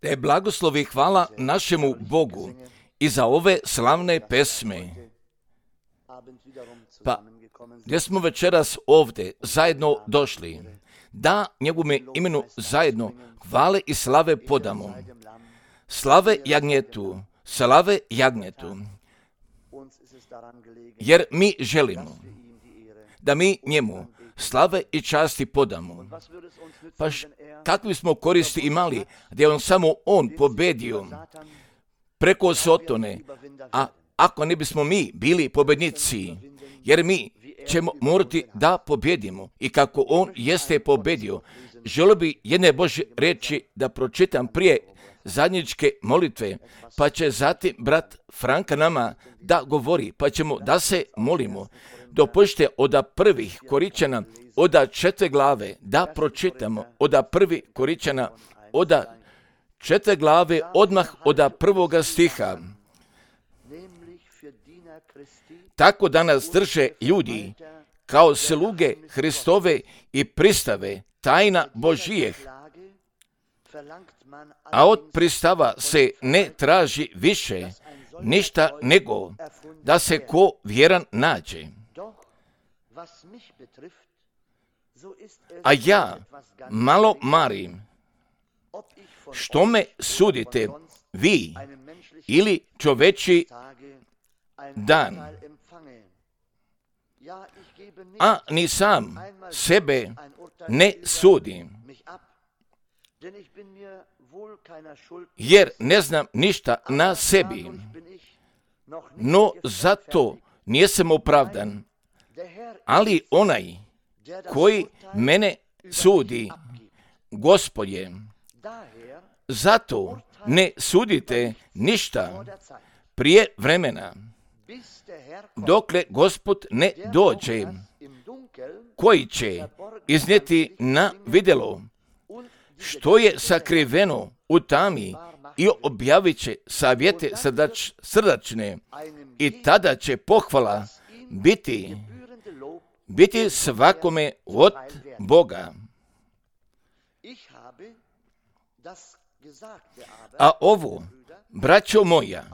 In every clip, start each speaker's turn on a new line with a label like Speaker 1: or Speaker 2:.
Speaker 1: Da je blagoslov i hvala našemu Bogu i za ove slavne pesme. Pa, gdje smo večeras ovdje zajedno došli, da njegovome imenu zajedno hvale i slave podamo. Slave jagnjetu, slave jagnjetu. Jer mi želimo da mi njemu slave i časti podamo. Pa kakvi smo koristi imali, gdje on pobedio preko Sotone, a ako ne bismo mi bili pobednici, jer mi ćemo morati da pobjedimo i kako on jeste pobedio. Želio bi jedne Božje riječi da pročitam prije zadnjičke molitve, pa će zatim brat Franka nama da govori, pa ćemo da se molimo. Dopustite od prvih Koričana, od 4 glave, da pročitamo od 1 Koričana, od 4 glave, odmah od 1. stiha. Tako da nas drže ljudi kao sluge Hristove i pristave tajna Božijeh, a od pristava se ne traži više ništa nego da se ko vjeran nađe. A ja malo marim, što me sudite vi ili čoveči dan, a ni sam sebe ne sudim, jer ne znam ništa na sebi, no zato nisam opravdan, ali onaj koji mene sudi, Gospod je. Zato ne sudite ništa prije vremena, dokle Gospod ne dođe, koji će iznijeti na vidjelo što je sakriveno u tami i objavit će savjete srdačne, i tada će pohvala biti svakome od Boga. A ovo, braćo moja,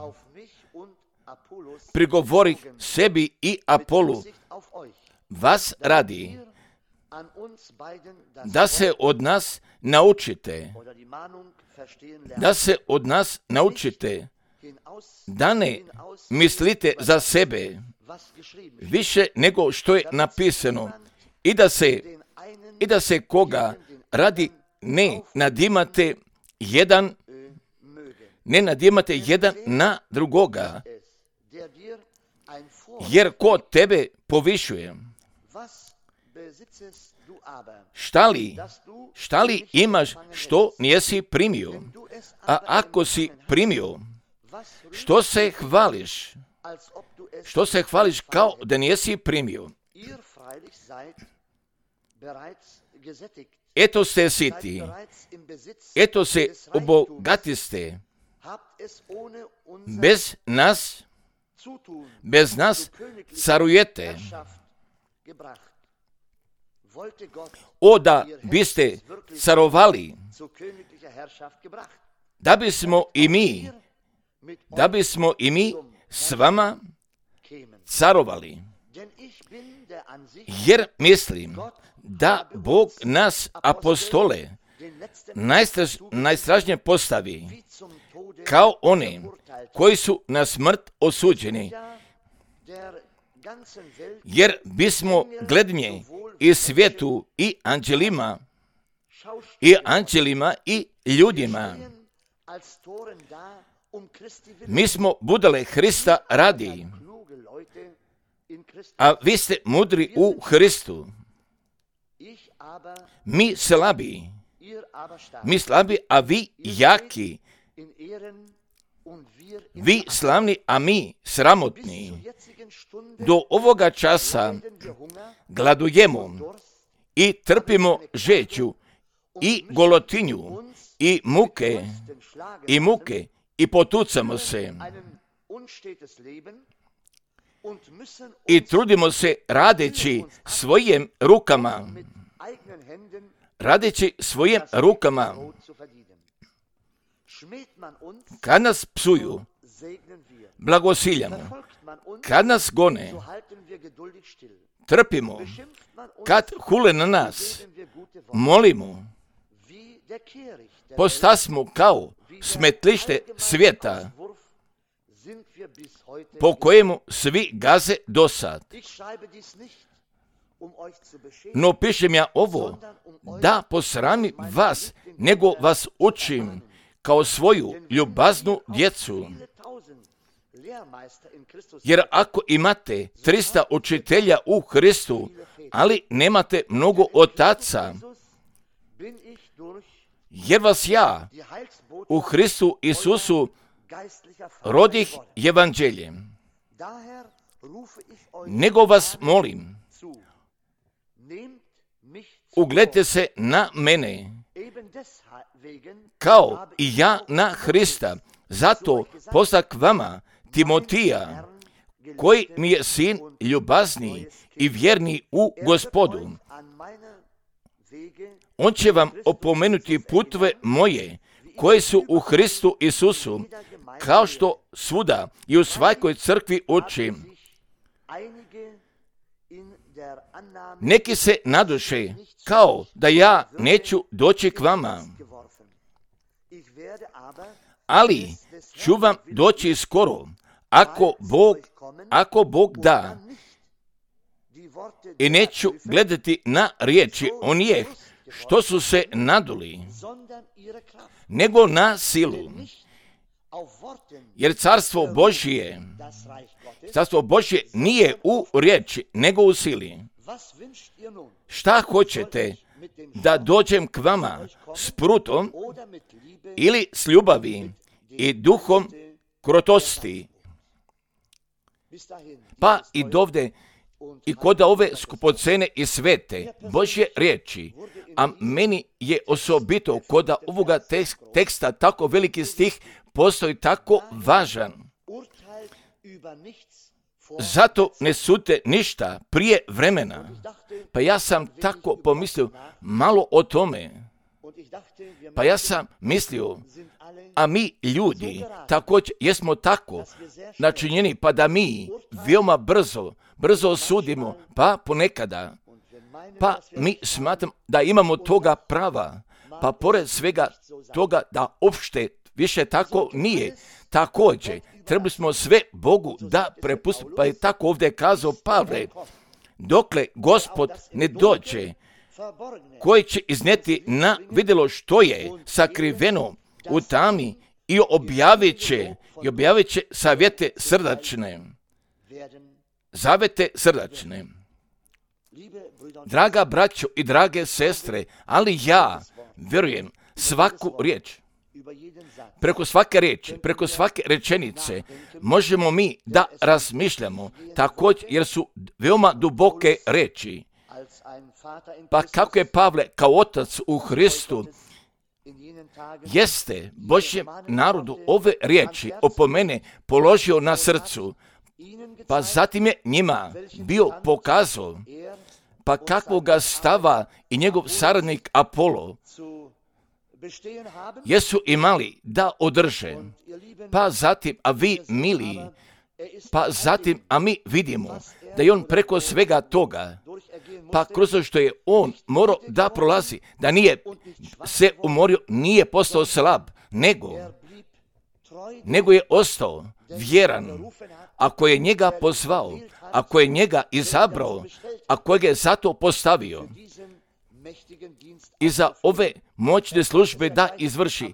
Speaker 1: prigovori sebi i Apolu, vas radi, da se od nas naučite, da ne mislite za sebe više nego što je napisano, i da se koga radi ne nadimate jedan na drugoga, jer ko tebe povišuje, šta li imaš što nisi primio, a ako si primio, što se hvališ kao da nisi primio? Eto ste siti, eto se obogatiste, bez nas carujete. O da biste carovali, da bismo i mi s vama carovali. Jer mislim da Bog nas apostole najstražnije postavi kao one koji su na smrt osuđeni, jer bismo glednje i svijetu i anđelima i ljudima. Mi smo budale Hrista radi, a vi ste mudri u Hristu. Mi slabi, a vi jaki. Vi slavni, a mi sramotni. Do ovoga časa gladujemo i trpimo žeću i golotinju i muke i potucamo se i trudimo se radeći svojim rukama radeći svojim rukama. Kad nas psuju, blagosiljamo. Kad nas gone, trpimo. Kad hule na nas, molimo. Postasmo kao smetlište svijeta, po kojemu svi gaze dosad. No pišem ja ovo, da posramim vas, nego vas učim kao svoju ljubaznu djecu. Jer ako imate 300 učitelja u Hristu, ali nemate mnogo otaca, jer vas ja u Hristu Isusu rodih evanđeljem, nego vas molim, ugledajte se na mene, kao i ja na Hrista. Zato postak vama Timotija, koji mi je sin ljubazni i vjerni u Gospodu. On će vam opomenuti putove moje, koje su u Hristu Isusu, kao što svuda i u svakoj crkvi učim. Neki se naduše, kao da ja neću doći k vama, ali ću vam doći skoro, ako Bog da. I neću gledati na riječi onih što su se naduli, nego na silu. Jer carstvo Božje nije u riječi, nego u sili. Šta hoćete, da dođem k vama s prutom ili s ljubavi i duhom krotosti? Pa i dovde i kod ove skupocene i svete Božje riječi, a meni je osobito kod ovoga teksta tako veliki stih postoji tako važan. Zato ne sudite ništa prije vremena. Pa ja sam tako pomislio malo o tome. Pa ja sam mislio, a mi ljudi također jesmo tako načinjeni, pa da mi veoma brzo sudimo, pa ponekada. Pa mi smatramo da imamo toga prava, pa pored svega toga da uopšte više tako nije. Također, trebali smo sve Bogu da prepustimo, pa je tako ovdje kazao Pavle, dokle Gospod ne dođe, koji će iznijeti na vidjelo što je sakriveno u tami i objavit će savjete srdačne. Zavete srdačne. Draga braćo i drage sestre, ali ja vjerujem svaku riječ. Preko svake riječi, preko svake rečenice možemo mi da razmišljamo također, jer su veoma duboke riječi. Pa kako je Pavle kao otac u Hristu jeste Božjem narodu ove riječi opomene položio na srcu, pa zatim je njima bio pokazao, pa kakvoga stava i njegov saradnik Apolo jesu imali da održe, pa zatim, a vi mili, pa zatim, a mi vidimo da je on preko svega toga, pa kroz što je on morao da prolazi, da nije se umorio, nije postao slab, nego je ostao vjeran. Ako je njega pozvao, ako je njega izabrao, ako je zato postavio i za ove moćne službe da izvrši,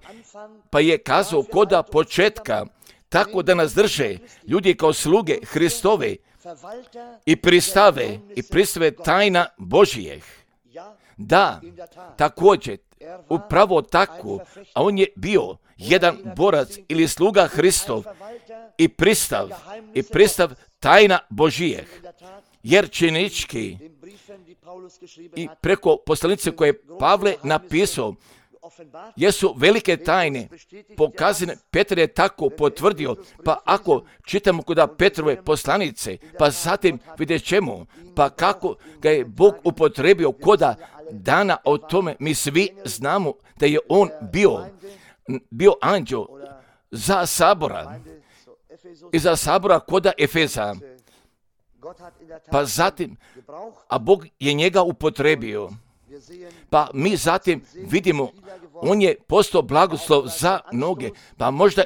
Speaker 1: pa je kazao koda početka, tako da nas drže ljudi kao sluge Hristove i pristave tajna Božijeh. Da, također, upravo tako, a on je bio jedan borac ili sluga Hristov i pristav tajna Božijeh. Jer činički i preko poslanice koje je Pavle napisao, jesu velike tajne pokazane, Petar je tako potvrdio, pa ako čitamo kod Petrove poslanice, pa zatim vidjet ćemo, pa kako ga je Bog upotrebio koda dana o tome mi svi znamo da je on bio anđeo za sabora i za sabora koda Efeza. Pa zatim, a Bog je njega upotrebio. Pa mi zatim vidimo, on je postao blagoslov za mnoge, pa možda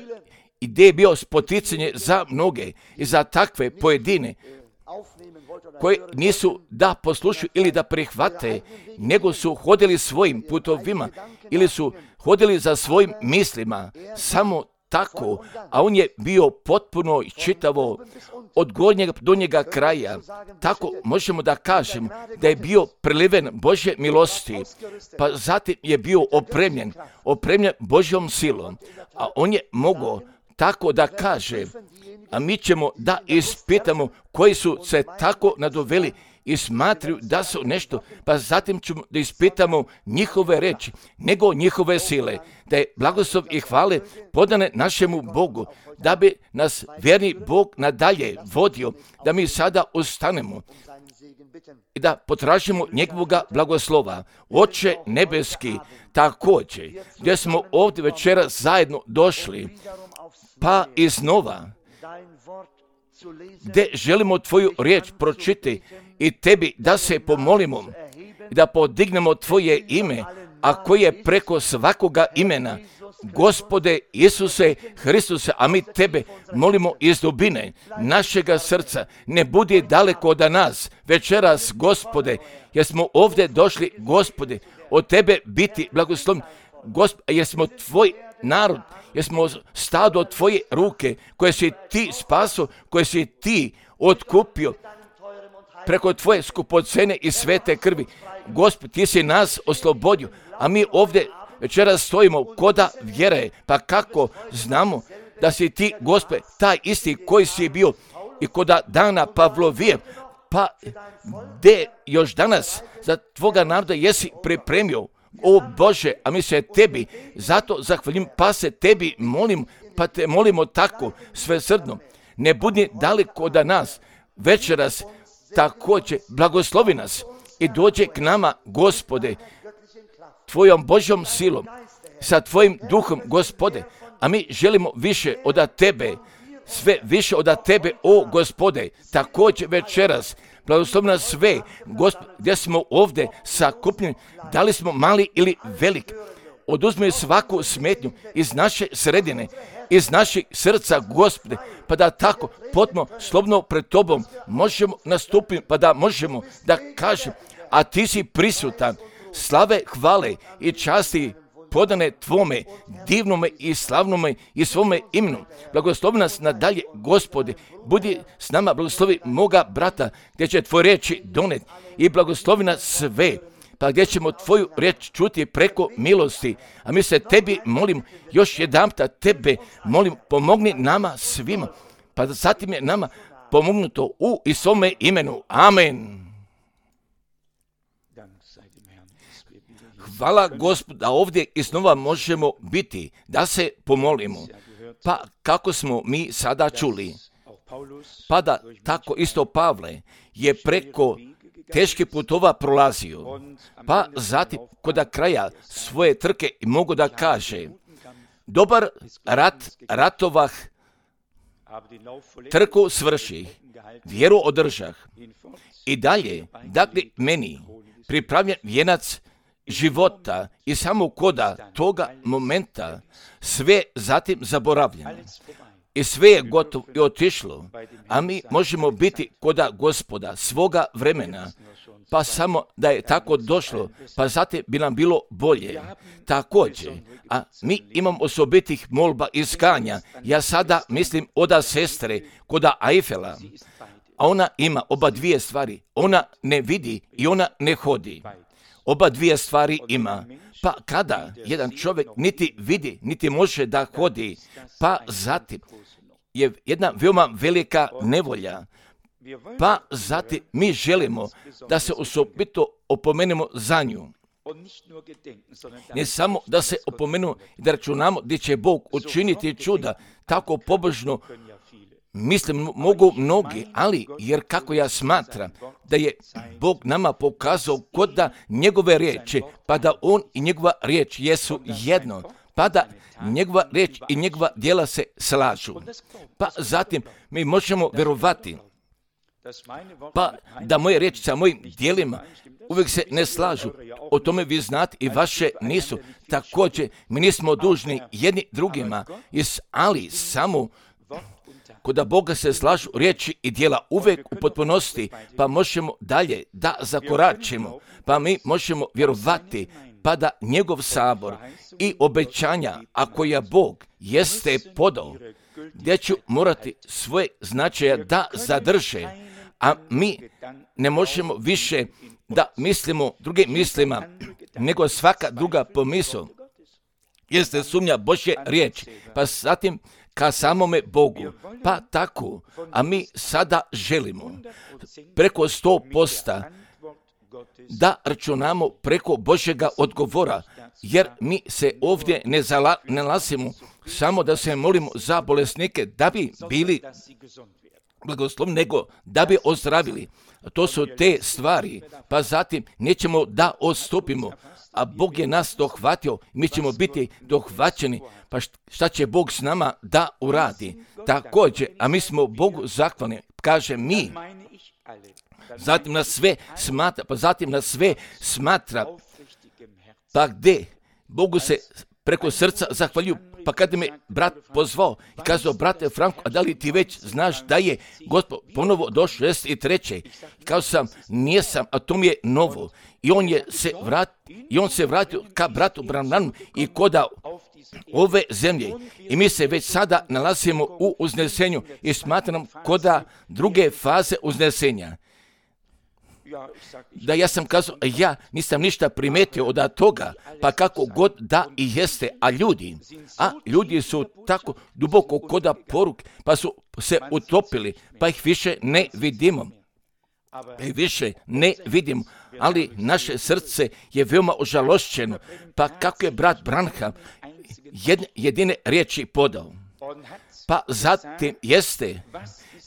Speaker 1: i gdje je bio spoticanje za mnoge i za takve pojedine koji nisu da poslušaju ili da prihvate, nego su hodili svojim putovima ili su hodili za svojim mislima, samo tako, a on je bio potpuno čitavo od gornjega do njega kraja. Tako možemo da kažemo da je bio preliven Božje milosti, pa zatim je bio opremljen Božjom silom, a on je mogao tako da kaže, a mi ćemo da ispitamo koji su se tako nadoveli i smatraju da su nešto, pa zatim ćemo da ispitamo njihove reči, nego njihove sile, da je blagoslov i hvale podane našemu Bogu, da bi nas vjerni Bog nadalje vodio, da mi sada ustanemo i da potražimo njegovoga blagoslova. Oče nebeski, također, gdje smo ovdje večera zajedno došli, pa iznova, gdje želimo tvoju riječ pročiti i tebi da se pomolimo i da podignemo tvoje ime, a koje je preko svakoga imena. Gospode Isuse Hristuse, a mi tebe molimo iz dubine našega srca, ne budi daleko od nas večeras, Gospode, jer smo ovdje došli, Gospode, od tebe biti blagoslovni, jer smo tvoj narod, jer smo stado tvoje ruke, koje si ti spaso, koje si ti otkupio preko tvoje skupocene i svete krvi. Gospod, ti si nas oslobodio, a mi ovdje večeras stojimo koda vjere, pa kako znamo da si ti, Gospod, taj isti koji si bio i koda dana Pavlovije, pa gdje još danas za tvoga naroda jesi pripremio, o Bože, a mi se tebi zato zahvalim, pa se tebi molim, pa te molimo tako svesrdno, ne budi daleko od nas večeras, također blagoslovi nas i dođe k nama, Gospode, tvojom Božjom silom, sa tvojim duhom, Gospode, a mi želimo više od tebe, sve više od tebe, o Gospode, također večeras, blagoslovi nas sve, Gospod, gdje smo ovdje sakupljeni, da li smo mali ili velik, oduzmi svaku smetnju iz naše sredine, iz naših srca, Gospode, pa da tako potpuno slobodno pred tobom možemo nastupiti, pa da možemo da kažem, a ti si prisutan, slave, hvale i časti podane tvome divnome i slavnome i svome imenu. Blagoslovi nas nadalje, Gospode, budi s nama, blagoslovi moga brata, gdje će tvoje riječi doneti i blagoslovi nas sve, pa gdje ćemo tvoju riječ čuti preko milosti, a mi se tebi molim, još jedanputa tebe molim, pomogni nama svima, pa da zatim je nama pomognuto u i svome imenu. Amen. Hvala Gospodu da ovdje iznova možemo biti, da se pomolimo. Pa kako smo mi sada čuli, pa da tako isto Pavle je preko teških putova prolazio, pa zatim kod kraja svoje trke mogu da kaže, dobar rat ratovah, trku svrših, vjeru održah i dalje, dakle meni pripravljen vijenac života i samo koda toga momenta sve zatim zaboravljeno i sve je gotovo i otišlo, a mi možemo biti koda Gospoda svoga vremena, pa samo da je tako došlo, pa zatim bi nam bilo bolje. Također, a mi imamo osobitih molba i skanja, ja sada mislim oda sestre koda Ajfela, a ona ima oba dvije stvari, ona ne vidi i ona ne hodi. Oba dvije stvari ima, pa kada jedan čovjek niti vidi, niti može da hodi, pa zatim je jedna veoma velika nevolja, pa zatim mi želimo da se osobito opomenemo za nju. Ne samo da se opomenemo i da računamo gdje će Bog učiniti čuda, tako pobožno mislim, mogu mnogi, ali jer kako ja smatram da je Bog nama pokazao kod da njegove riječi, pa da on i njegova riječ jesu jedno, pa da njegova riječ i njegova djela se slažu. Pa zatim mi možemo vjerovati, pa da moje riječi sa mojim djelima uvijek se ne slažu. O tome vi znate i vaše nisu. Također, mi nismo dužni jedni drugima, ali samo kod Boga se slažu riječi i djela uvijek u potpunosti, pa možemo dalje da zakoračimo, pa mi možemo vjerovati, pa da njegov sabor i obećanja, ako je Bog jeste podao, gdje ću morati svoje značaja da zadrže, a mi ne možemo više da mislimo drugim mislima, nego svaka druga pomisao jeste sumnja Božje riječi, pa zatim ka samome Bogu, pa tako, a mi sada želimo preko 100% da računamo preko Božjega odgovora, jer mi se ovdje ne nalazimo samo da se molimo za bolesnike da bi bili blagoslovni, nego da bi ozdravili. To su te stvari, pa zatim nećemo da odstupimo, a Bog je nas dohvatio, mi ćemo biti dohvaćeni, pa šta će Bog s nama da uradi? Također, a mi smo Bogu zahvalni, kaže mi, zatim nas sve smatra, pa gdje Bogu se preko srca zahvaljuju. Pa kada me brat pozvao i kazao, brate Franko, a da li ti već znaš da je Gospod ponovo došao 63. Kao sam, nijesam, a to mi je novo. I on se vratio ka bratu Branhanu i koda ove zemlje. I mi se već sada nalazimo u uznesenju i smatram koda druge faze uznesenja. Da ja sam kazao, ja nisam ništa primetio od toga, pa kako god da i jeste, a ljudi su tako duboko koda poruk, pa su se utopili, pa ih više ne vidimo. Ali naše srce je veoma ožalošćeno, pa kako je brat Branham jedine riječi podao. Pa zatim jeste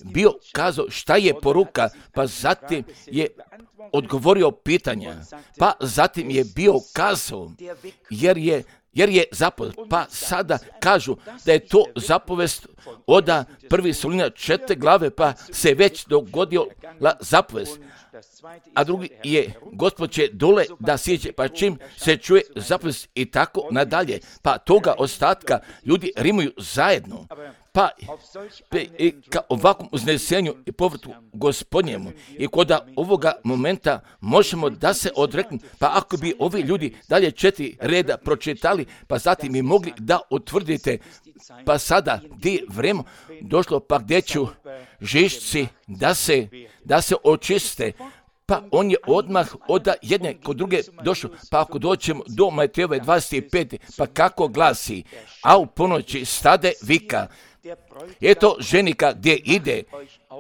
Speaker 1: bio kazao šta je poruka, pa zatim je odgovorio pitanja, pa zatim je bio kazao, jer je zapovest, pa sada kažu da je to zapovest od 1. Solunja 4. glave, pa se već dogodila zapovest. A drugi je, Gospod će dole da siđe, pa čim se čuje zapovest i tako nadalje, pa toga ostatka ljudi rimuju zajedno. Pa i ka ovakvom uznesenju i povratu Gospodnjemu i kod ovoga momenta možemo da se odreknu, pa ako bi ovi ljudi dalje 4 reda pročitali, pa zatim bi mogli da utvrdite, pa sada gdje je vrijeme došlo, pa gdje ću žišci da se očiste, pa on je odmah od jedne kod druge došao, pa ako doćemo do Matejove 25, pa kako glasi, a u ponoći stade vika, eto ženika gdje ide,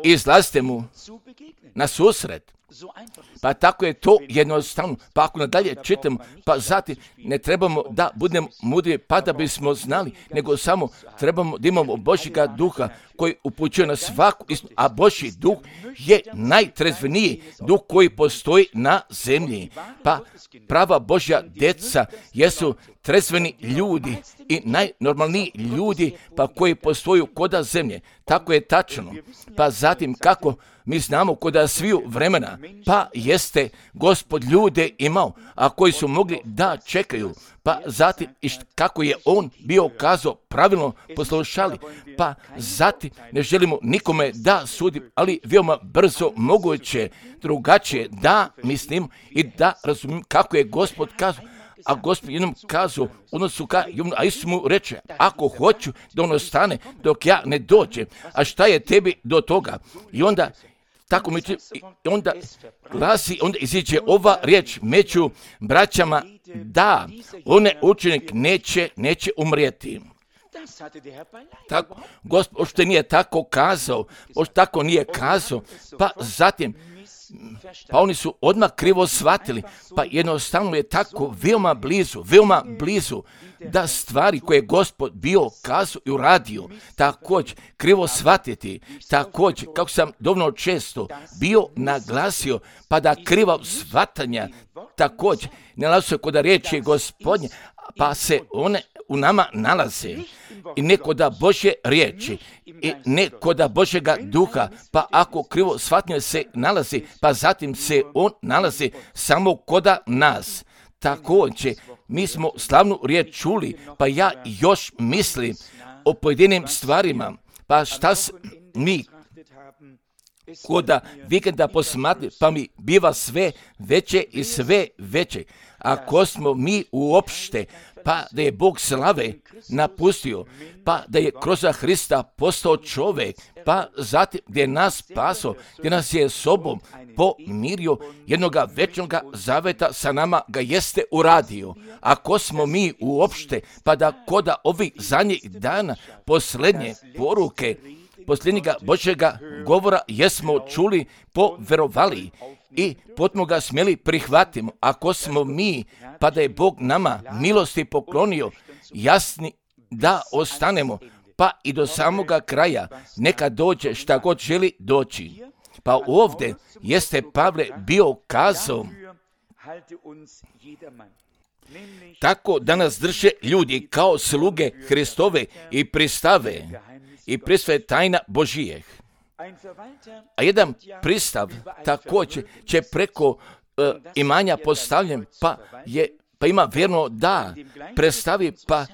Speaker 1: izlazite mu na susret. Pa tako je to jednostavno. Pa ako nadalje čitamo, pa zatim ne trebamo da budemo mudri pa da bismo znali, nego samo trebamo da imamo Božjega duha koji upućuje na svaku istinu, a Božji duh je najtrezveniji duh koji postoji na zemlji. Pa prava Božja djeca jesu trezveni ljudi i najnormalniji ljudi pa koji postoju koda zemlje. Tako je tačno. Pa zatim kako mi znamo koda sviju vremena, pa jeste Gospod ljude imao, a koji su mogli da čekaju, pa zatim kako je on bio kazao, pravilno poslušali, pa zatim ne želimo nikome da sudim, ali veoma brzo moguće drugačije da mislim i da razumijem kako je Gospod kazao. A Gospod jednom kazao, odnosu ka Jovanu, a Isus mu reče, ako hoću da on ostane dok ja ne dođem, a šta je tebi do toga? I onda tako mi onda glasi, onda iziđe ova riječ među braćama, da onaj učenik neće umrijeti. Tako, Gospod ošte nije tako kazao, pa zatim Pa oni su odmah krivo shvatili, pa jednostavno je tako veoma blizu, da stvari koje je Gospod bio kazao i uradio, također krivo shvatiti, također, kako sam dovoljno često bio naglasio, pa da kriva shvatanja, također, nalazi se kod riječi Gospodnje, pa se one u nama nalaze i ne kod Božje riječi i ne kod Božjega duha, pa ako krivo shvatanje se nalazi, pa zatim se on nalazi samo kod nas. Također, mi smo slavnu riječ čuli, pa ja još mislim o pojedinim stvarima, pa šta mi koda vikenda posmatri, pa mi biva sve veće i sve veće. Ako smo mi uopšte, pa da je Bog slave napustio, pa da je kroz Hrista postao čovjek, pa zatim gdje je nas spaso, gdje nas je sobom pomirio, jednoga večnoga zaveta sa nama ga jeste uradio. Ako smo mi uopšte, pa da koda ovih zadnjih dana posljednje poruke, posljednjega Božjega govora jesmo čuli, poverovali i potpuno ga smjeli prihvatimo. Ako smo mi, pa da je Bog nama milosti poklonio, jasni da ostanemo, pa i do samoga kraja, neka dođe šta god želi doći. Pa ovdje jeste Pavle bio kazao, tako da nas drže ljudi kao sluge Hristove i pristave i prisve tajna Božijeh. A jedan pristav također će preko imanja postavljen, pa ima vjerno da predstavi, pa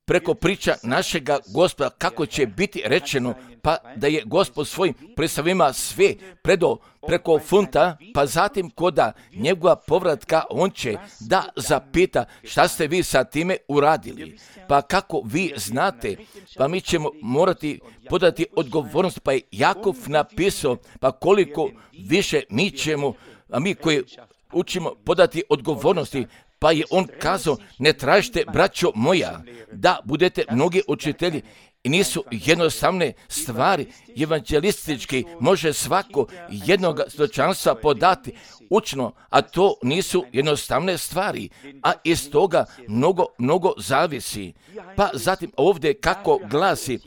Speaker 1: preko priča našega Gospoda, kako će biti rečeno, pa da je Gospod svojim predstavima sve predao preko funta, pa zatim koda njegova povratka on će da zapita šta ste vi sa time uradili. Pa kako vi znate, pa mi ćemo morati podati odgovornost, pa je Jakov napisao, pa koliko više mi ćemo, a mi koji učimo podati odgovornosti, pa je on kazao, ne tražite, braćo moja, da budete mnogi učitelji. I nisu jednostavne stvari, evanđelistički može svako jednog svjedočanstva podati učno, a to nisu jednostavne stvari, a iz toga mnogo zavisi. Pa zatim ovdje kako glasi,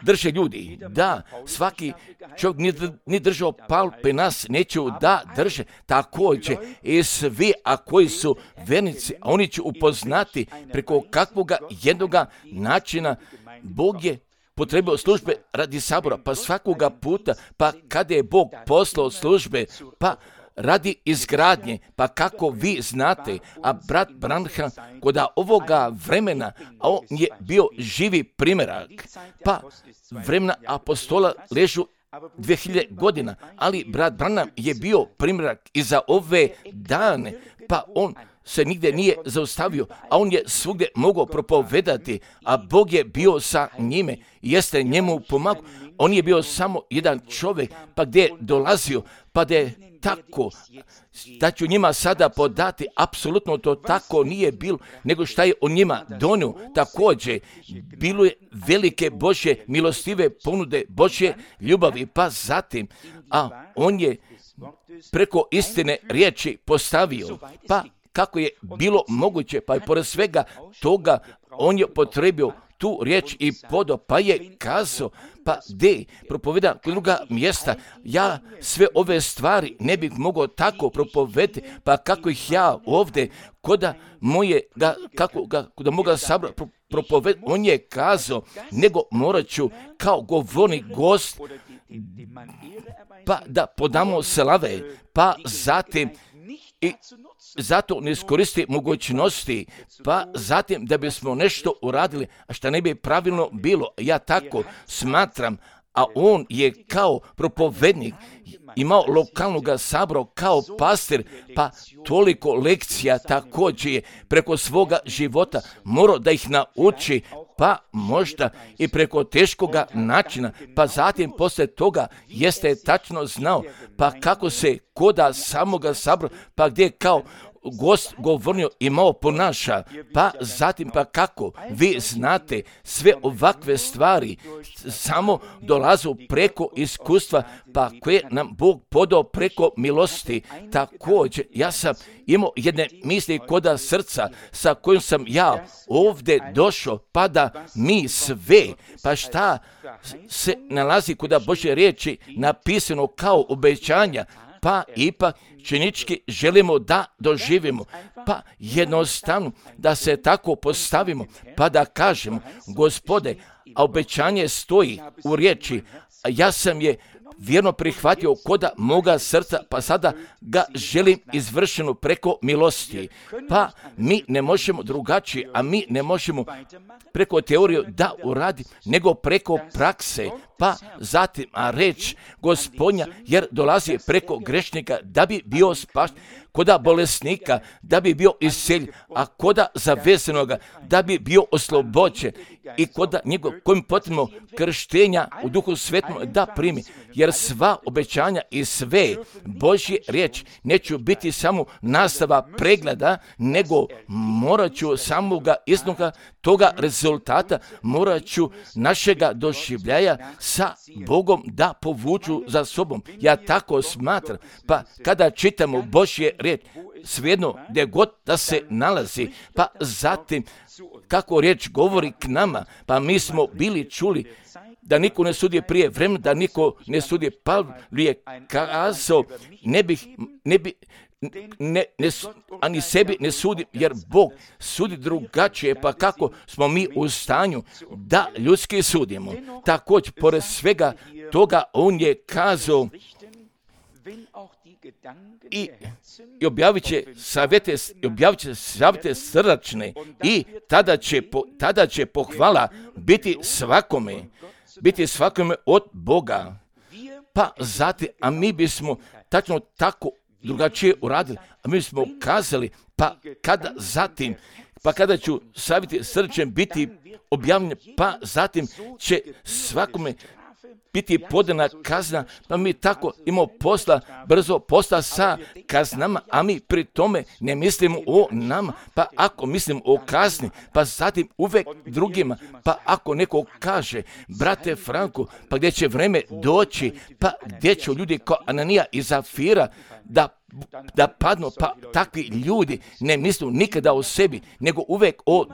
Speaker 1: drže ljudi, da svaki čovjek ni držao palpe nas neću da drže, također i svi, a koji su vernici, a oni će upoznati preko kakvoga jednoga načina Bog je potrebio službe radi sabora, pa svakoga puta, pa kada je Bog poslao službe, pa radi izgradnje, pa kako vi znate, a brat Branham kod ovoga vremena, a on je bio živi primjerak, pa vremena apostola ležu 2000 godina, ali brat Branham je bio primjerak i za ove dane, pa on se nigdje nije zaustavio, a on je svugdje mogao propovedati, a Bog je bio sa njime, jeste njemu pomagao. On je bio samo jedan čovjek, pa gdje je dolazio, pa da je tako, da ću njima sada podati, apsolutno to tako nije bilo, nego šta je on njima donio. Također, bilo je velike Božje milostive ponude, Božje ljubavi, pa zatim, a on je preko istine riječi postavio, pa kako je bilo moguće, pa je pored svega toga on je potrebio tu riječ i podo, pa je kazao, pa gdje propoveda kod druga mjesta, ja sve ove stvari ne bih mogao tako propovedati, pa kako ih ja ovdje koda moga sabora propovedati, on je kazao, nego morat ću kao govornik gost, pa da podamo slave, pa zatim i zato ne iskoristi mogućnosti, pa zatim da bismo nešto uradili, a što ne bi pravilno bilo. Ja tako smatram, a on je kao propovednik imao lokalnog sabora kao pastir, pa toliko lekcija također je preko svoga života morao da ih nauči, pa možda i preko teškoga načina, pa zatim poslije toga jeste tačno znao, pa kako se koda samoga sabora, pa gdje kao gost govornio i malo ponaša, pa zatim pa kako vi znate sve ovakve stvari samo dolazu preko iskustva, pa koje nam Bog podao preko milosti. Također, ja sam imao jedne misli koda srca sa kojim sam ja ovdje došao, pa da mi sve, pa šta se nalazi koda Božje riječi napisano kao obećanja, pa ipak činički želimo da doživimo, pa jednostavno da se tako postavimo, pa da kažemo, Gospode, a obećanje stoji u riječi, a ja sam je vjerno prihvatio koda moga srca, pa sada ga želim izvršeno preko milosti. Pa mi ne možemo drugačije, a mi ne možemo preko teorije da uradi, nego preko prakse. Pa zatim, a reč Gospodnja, jer dolazi preko grešnika da bi bio spašen, koda bolesnika da bi bio isceljen, a koda zavezanoga da bi bio oslobođen i koda njegov kojim potrebno krštenja u Duhu Svetom da primi, jer sva obećanja i sve Božje riječ neću biti samo nastava pregleda, nego morat ću samoga iznoga toga rezultata, morat ću našega doživljaja sa Bogom da povuču za sobom. Ja tako smatram, pa kada čitamo Božje riječ, svejedno gdje god da se nalazi, pa zatim kako riječ govori k nama, pa mi smo bili čuli da niko ne sudi prije vremena, da niko ne sudi. Pavle je kazao, ani sebi ne sudim, jer Bog sudi drugačije, pa kako smo mi u stanju da ljudski sudimo. Također, pored svega toga, on je kazao i objavit će savjete srdačne i tada će pohvala biti svakome od Boga. Pa zatim, a mi bismo tačno tako drugačije uradili, a mi smo kazali, pa kada ću savjeti srdačne biti objavljeni, pa zatim će svakome biti podana kazna, pa mi tako imamo brzo posla sa kaznama, a mi pri tome ne mislimo o nama, pa ako mislimo o kazni, pa zatim uvek drugima, pa ako neko kaže, brate Franku, pa gdje će vreme doći, pa gdje će ljudi kao Ananija i Zafira da padnu, pa takvi ljudi ne misle nikada o sebi, nego uvek o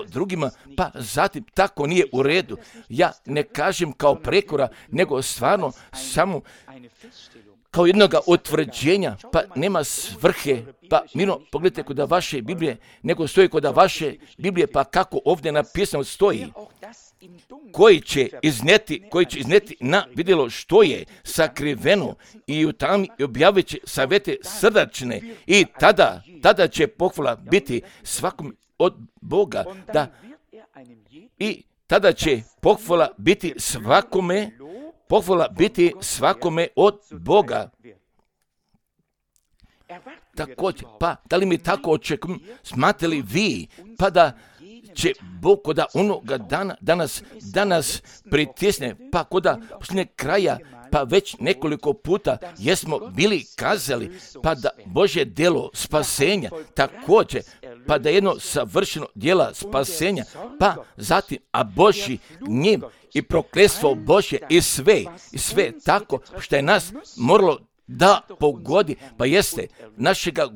Speaker 1: drugima, pa zatim tako nije u redu. Ja ne kažem kao prekora, nego stvarno samo kao jednoga utvrđenja, pa nema svrhe, pa mirno pogledajte kod vaše Biblije, nego stoji kod vaše Biblije, pa kako ovdje napisano stoji, koji će izneti na vidjelo što je sakriveno i u tami objavit će savjete srdačne i tada će pohvala biti svakom od Boga, i tada će pohvala biti svakome od Boga. Također, pa da li mi tako očekujemo, smatrali vi, pa da će Bog koda onoga dana danas pritisne, pa koda posljednjeg kraja, pa već nekoliko puta jesmo bili kazali, pa da Božje djelo spasenja također, pa da jedno savršeno djela spasenja, pa zatim, a Božji gnjev i prokletstvo Božje i sve tako što je nas moralo da pogodi, pa jeste našega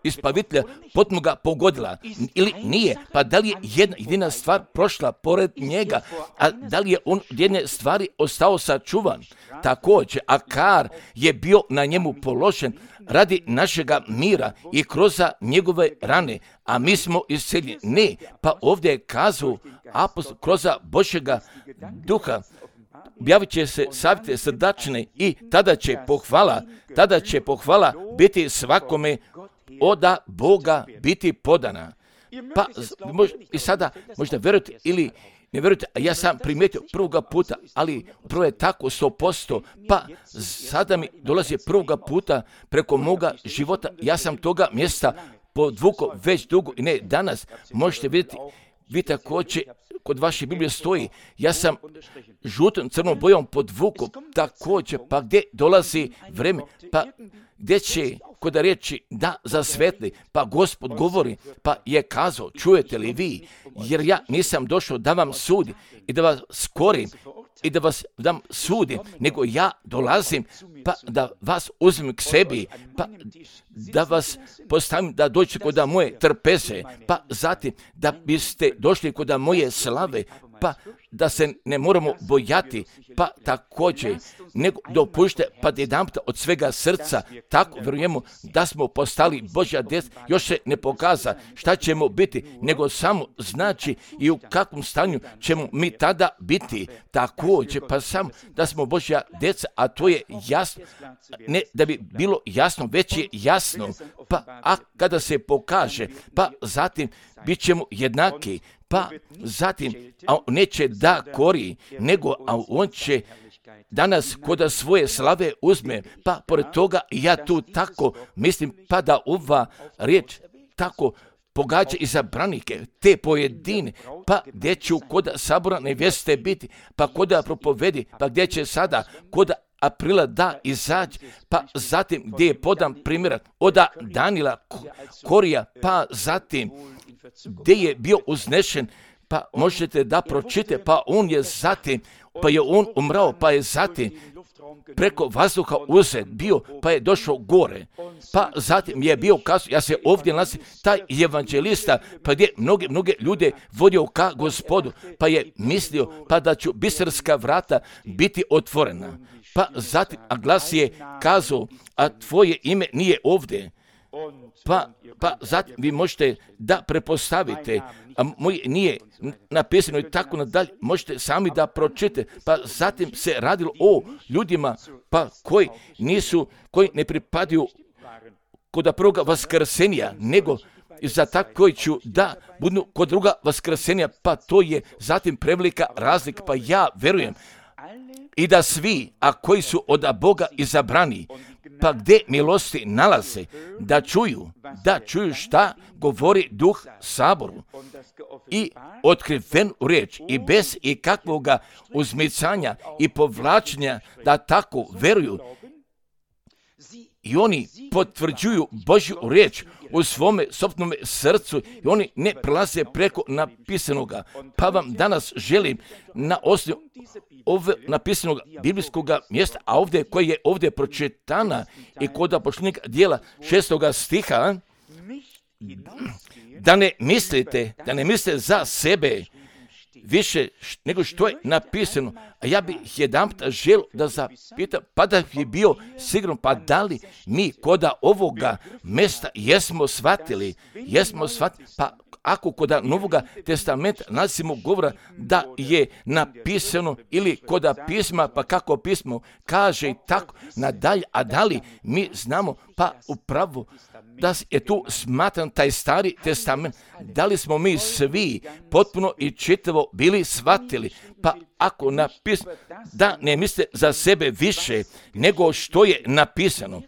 Speaker 1: ispavitelja potpuno ga pogodila ili nije, pa da li je jedna jedina stvar prošla pored njega, a da li je on od jedne stvari ostao sačuvan. Također, a kar je bio na njemu položen radi našega mira i kroz njegove rane, a mi smo isceljeni. Ne, pa ovdje je kazao apostol kroz Božjega duha, objavit će se savjete srdačne i tada će pohvala biti svakome od Boga biti podana. Pa i sada možda vjerujete ili ne vjerujete, a ja sam primijetio prvoga puta, ali prvo je tako 100%, pa sada mi dolazi prvoga puta preko moga života, ja sam toga mjesta podvukao već dugo i ne danas, možete vidjeti vi također, kod vaše Biblije stoji, ja sam žutom crnom bojom podvukao također, pa gdje dolazi vreme, pa gdje će kod riječi da zasvetli, pa Gospod govori, pa je kazao, čujete li vi, jer ja nisam došao da vam sudi i da vas skorim i da vas dam sudim, nego ja dolazim pa da vas uzmem k sebi, pa da vas postavim da dođete kod moje trpeze, pa zatim da biste došli kod moje slave, pa da se ne moramo bojati, pa također nego dopušte pa jedanput od svega srca tako vjerujemo da smo postali Božja djeca. Još se ne pokaza šta ćemo biti, nego samo znači i u kakvom stanju ćemo mi tada biti. Također pa samo da smo Božja djeca, a to je jasno, ne da bi bilo jasno, već je jasno, pa a kada se pokaže, pa zatim bit ćemo jednaki, pa zatim a neće da kori, nego a on će danas kod svoje slave uzme, pa pored toga ja tu tako mislim, pa da ova riječ tako pogađa i za branike, te pojedine, pa gdje ću kod sabora nevjeste biti, pa kod propovedi, pa gdje će sada kod Aprila da izađe, pa zatim gdje je podan primjerak od Danila Korija, pa zatim gdje je bio uznešen, pa možete da pročite, pa on je zatim, pa je on umrao, pa je zatim preko vazduha uzet bio, pa je došao gore, pa zatim je bio kazao, ja se ovdje nalazim, taj evanđelista, pa gdje mnoge ljude vodio ka Gospodu, pa je mislio, pa da ću bistarska vrata biti otvorena, pa zatim, a glas je kazao, a tvoje ime nije ovdje, pa zatim vi možete da prepostavite, a moje nije napisano i tako nadalje, možete sami da pročite, pa zatim se radilo o ljudima, pa koji ne pripadaju kod prvoga vaskrsenja, nego za tako koji ću da budu kod druga vaskrsenja, pa to je zatim prevelika razlika, pa ja verujem i da svi, a koji su od Boga izabrani, pa gdje milosti nalaze, da čuju šta govori Duh Saboru i otkriven u riječ i bez ikakvoga uzmicanja i povlačenja da tako veruju. I oni potvrđuju Božju riječ u svome sopstvenom srcu i oni ne prelaze preko napisanoga. Pa vam danas želim na osnovu ove napisanog biblijskog mjesta, a ovdje koje je ovdje pročitana i kod apoštolnog dijela 6. stiha, da ne mislite za sebe više nego što je napisano. A ja bih jedanput želio da zapitam, pa da je bio sigurno, pa da li mi kod ovoga mjesta jesmo shvatili, pa ako kod Novoga testamenta nalazimo govora da je napisano ili kod pisma, pa kako pismo kaže i tako nadalje, a da li mi znamo, pa upravo da je tu smatran taj stari testament, da li smo mi svi potpuno i čitavo bili shvatili, pa ako napisano da ne misle za sebe više nego što je napisano.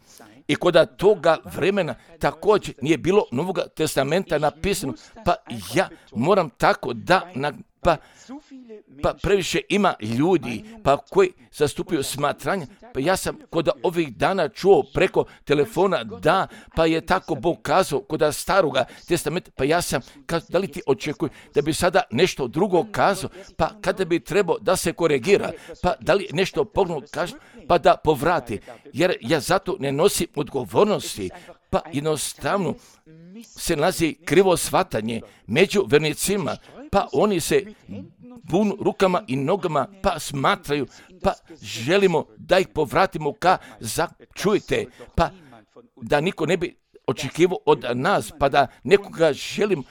Speaker 1: I kod toga vremena također nije bilo Novog testamenta napisano, pa ja moram tako da, pa previše ima ljudi pa koji zastupaju smatranje, pa ja sam kod ovih dana čuo preko telefona da, pa je tako Bog kazao kod staroga testamenta, pa ja sam kazao, da li ti očekuju da bi sada nešto drugo kazao, pa kada bi trebao da se koregira, pa da li nešto pognuo kaže, pa da povrati, jer ja zato ne nosim odgovornosti, pa jednostavno se nalazi krivo shvatanje među vernicima, pa oni se bunu rukama i nogama, pa smatraju, pa želimo da ih povratimo čujte, pa da niko ne bi očekivao od nas, pa da nekoga želim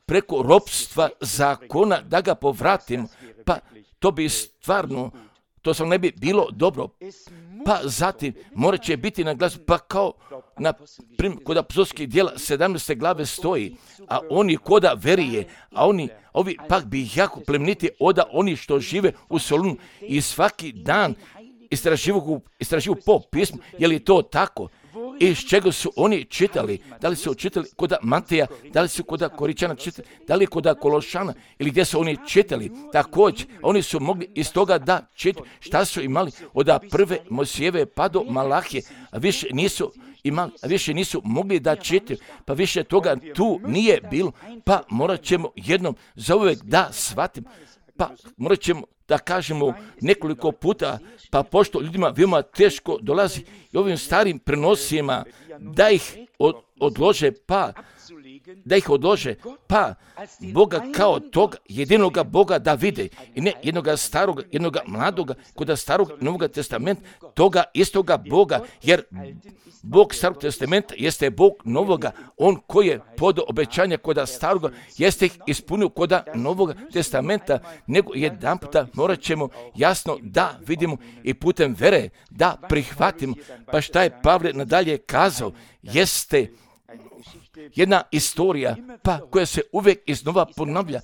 Speaker 1: preko ropstva zakona da ga povratimo, pa to bi stvarno, to sam ne bi bilo dobro. Pa zatim morat će biti na glasu, pa kao na primjer kod apostolskih djela 17. glave stoji, a oni koda verije, a ovi pak bi jako plemeniti od oni što žive u Solunu i svaki dan istraživu po pismu, je li to tako? iz čega su oni čitali. Da li su čitali kod Mateja, da li su kod Koričana čitali, da li kod Kološana ili gdje su oni čitali. Također, oni su mogli iz toga da čitaju šta su imali od prve Mojsijeve pa do Malahije, a više nisu imali, a više nisu mogli da čitaju, pa više toga tu nije bilo, pa morat ćemo jednom zauvijek da shvatimo, pa morat ćemo da kažemo nekoliko puta, pa pošto ljudima veoma teško dolazi i ovim starim prenosima da ih odlože, pa Boga kao tog jedinoga Boga da vide i ne jednoga staroga, jednoga mladoga, kod starog i Novog testamenta, toga istoga Boga, jer Bog starog testamenta jeste Bog novoga, on koji je pod obećanja kod staroga, jeste ih ispunio kod Novog testamenta, nego jedan puta morat ćemo jasno da vidimo i putem vere da prihvatimo. Pa šta je Pavle nadalje kazao, jeste jedna istorija pa koja se uvijek iznova ponavlja.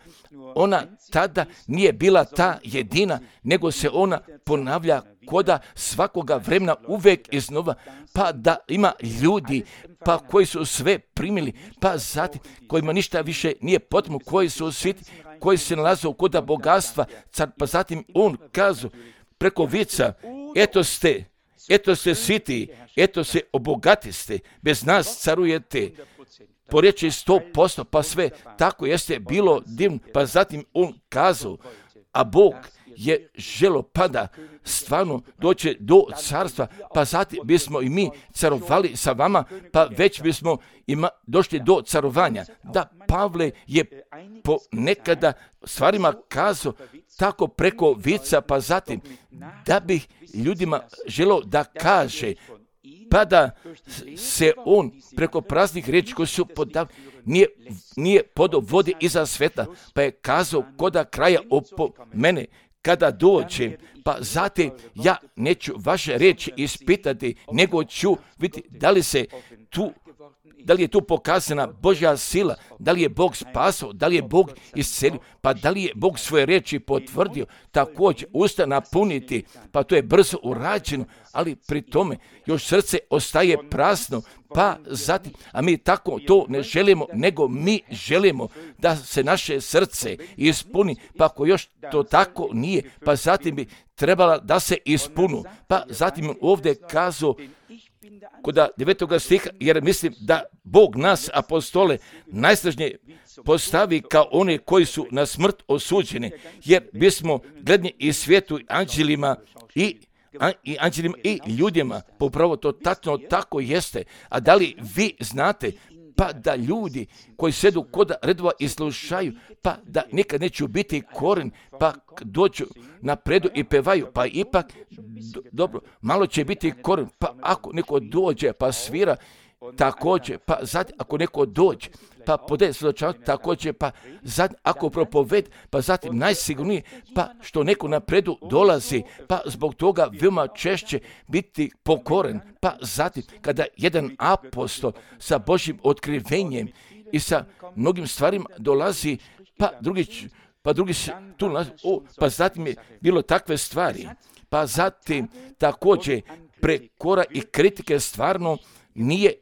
Speaker 1: Ona tada nije bila ta jedina, nego se ona ponavlja koda svakoga vremena uvijek iznova, pa da ima ljudi pa koji su sve primili, pa zatim kojima ništa više nije potrebno, koji su sviti, koji se nalaze koda bogatstva, pa zatim on kazu preko vica, eto ste sviti, eto se obogatiste, bez nas carujete. Po riječi 100%, pa sve tako jeste bilo divno, pa zatim on kazao, a Bog je želo pada stvarno doći do carstva, pa zatim bismo i mi carovali sa vama, pa već bismo došli do carovanja. Da, Pavle je ponekada stvarima kazao tako preko vica, pa zatim da bi ljudima želo da kaže, pa da se on preko praznih riječi koji su nije podao vode iza sveta, pa je kazao koda kraja mene kada dođe, pa zatim ja neću vaše riječi ispitati, nego ću vidjeti da li je tu pokazana Božja sila, da li je Bog spasao, da li je Bog iscelio, pa da li je Bog svoje riječi potvrdio, također usta napuniti, pa to je brzo urađeno, ali pri tome još srce ostaje prazno, pa zatim, a mi tako to ne želimo, nego mi želimo da se naše srce ispuni, pa ako još to tako nije, pa zatim bi trebala da se ispunu, pa zatim ovdje kazao kod 9. stiha, jer mislim da Bog nas, apostole, najsnažnije postavi kao one koji su na smrt osuđeni, jer bismo gledni i svijetu, anđelima i ljudima, popravo to tačno tako jeste. A da li vi znate, pa da ljudi koji sedu kod redova i slušaju, pa da nikad neću biti koren, pa dođu napredu i pevaju, pa ipak, dobro, malo će biti koren, pa ako neko dođe pa svira, također, pa zatim ako neko dođe, pa podaje svjedočanstvo, također, pa zatim ako propoved, pa zatim najsigurnije, pa što neko napredu dolazi, pa zbog toga veoma češće biti pokoren, pa zatim kada jedan apostol sa Božjim otkrivenjem i sa mnogim stvarima dolazi, pa drugi tu nalazi, pa zatim je bilo takve stvari, pa zatim također prekora i kritike stvarno nije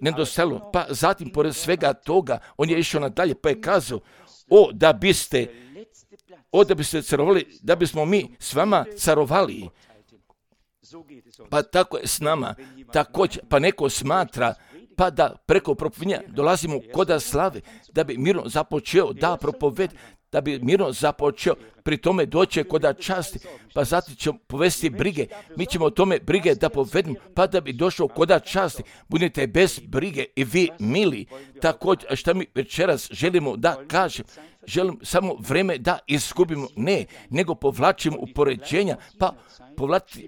Speaker 1: nedostajalo, pa zatim pored svega toga on je išao nadalje, pa je kazao, da biste carovali, da bismo mi s vama carovali, pa tako je s nama, također, pa neko smatra, pa da preko propovedanja dolazimo koda slave, da bi mirno započeo da propoved, da bi mirno započeo, pri tome doće koda časti, pa zatim ćemo povesti brige, mi ćemo o tome brige da povedemo, pa da bi došao koda časti, budite bez brige i vi mili. Također, šta mi večeras želimo da kažem, želim samo vreme da izgubimo, ne, nego povlačimo upoređenja, pa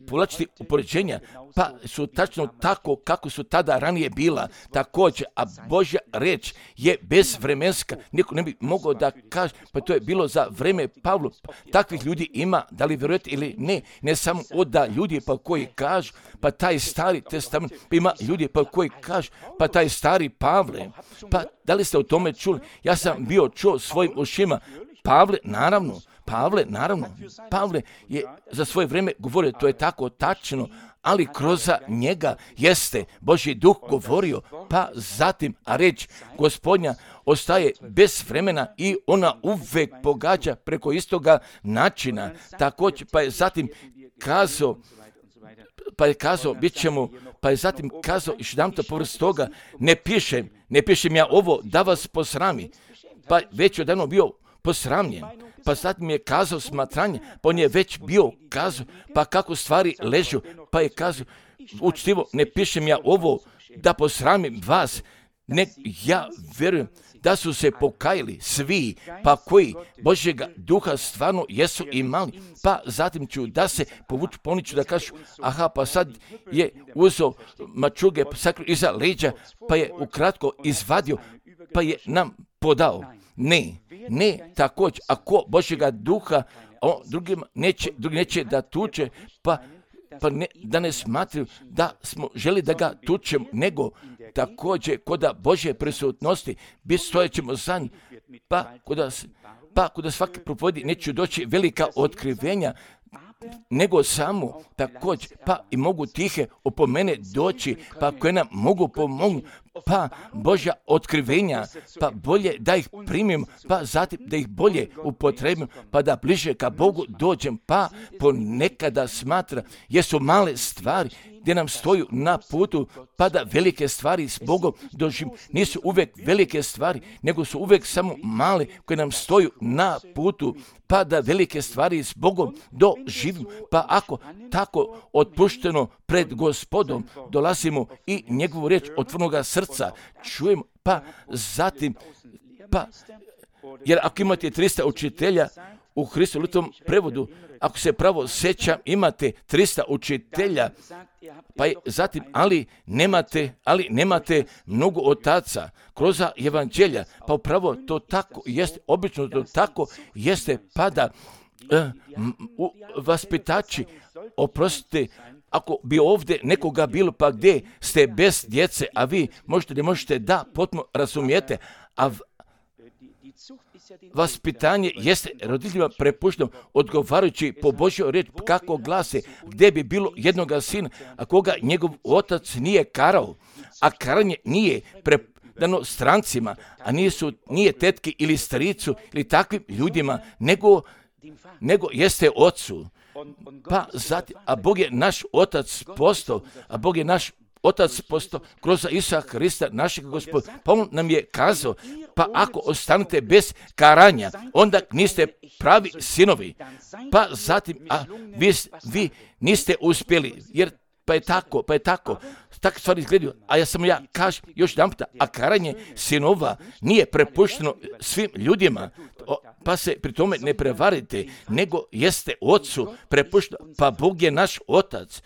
Speaker 1: povlačiti upoređenja, pa su tačno tako kako su tada ranije bila, također, a Božja reč je bezvremenska, niko ne bi mogao da kaže, pa to je bilo za vreme Pavla, takvih ljudi ima, da li vjerujete ili ne samo da ljudi pa koji kažu, pa taj stari testament, pa ima ljudi pa koji kažu, pa taj stari Pavle, pa da li ste o tome čuli? Ja sam bio čuo svojim ušima, Pavle, naravno, Pavle, naravno, Pavle je za svoje vrijeme govorio, to je tako tačno, ali kroz njega jeste Božji duh govorio, pa zatim, a reč Gospodnja ostaje bez vremena i ona uvek pogađa preko istoga načina. Također, pa je zatim kazao, bit ćemo, pa je zatim kazao, još jedan to povrst toga, ne pišem ja ovo da vas posrami, pa već odavno bio posramljen, pa zatim je kazao smatranje, pa on je već bio kazao, pa kako stvari ležu, pa je kazao, učtivo, ne pišem ja ovo da posramim vas, ne, ja vjerujem da su se pokajali svi, pa koji Božjega duha stvarno jesu imali, pa zatim ću da se povuču, poniću da kažu, aha, pa sad je uzeo mačuge, sakrio iza leđa, pa je ukratko izvadio, pa je nam podao. Ne, također, ako Božjega duha drugi neće da tuče, pa ne, da ne smatraju da smo želi da ga tučemo, nego također kod Božje prisutnosti stojećemo za njih, pa kod svake propovedi neće doći velika otkrivenja, nego samo također, pa i mogu tihe opomene doći, pa koje nam mogu pomognuti, pa Božja otkrivenja, pa bolje da ih primim, pa zatim da ih bolje upotrebim, pa da bliže ka Bogu dođem, pa ponekada smatra, jesu male stvari gdje nam stoju na putu, pa da velike stvari s Bogom doživim. Nisu uvijek velike stvari, nego su uvijek samo male koje nam stoju na putu, pa da velike stvari s Bogom doživim. Pa ako tako otpušteno pred Gospodom dolazimo i njegovu riječ otvorenoga srca čujemo, pa zatim, jer ako imate 300 učitelja u Hristovom prevodu, ako se pravo sjećam, imate 300 učitelja, pa zatim, ali nemate mnogo otaca kroz evanđelja, pa upravo to tako jeste, obično to tako jeste, pa da vaspitači, oprostite, ako bi ovdje nekoga bilo, pa gdje ste bez djece, a vi ne možete da potpuno razumijete, a vaspitanje jeste roditeljima prepušteno odgovarajući po Božjoj riječi kako glase, gdje bi bilo jednoga sina, a koga njegov otac nije karao, a karanje nije predano strancima, a nije tetki ili stricu ili takvim ljudima, nego jeste ocu. Pa zatim, a Bog je naš otac postao, kroz Isusa Hrista, našeg Gospoda. Pa on nam je kazao, pa ako ostanete bez karanja, onda niste pravi sinovi. Pa zatim, a vi niste uspjeli, jer pa je tako. Takve stvari izgledaju, a ja kažem još jedan puta, a karanje sinova nije prepušteno svim ljudima, pa se pri tome ne prevarite, nego jeste ocu prepušteno, pa Bog je naš otac.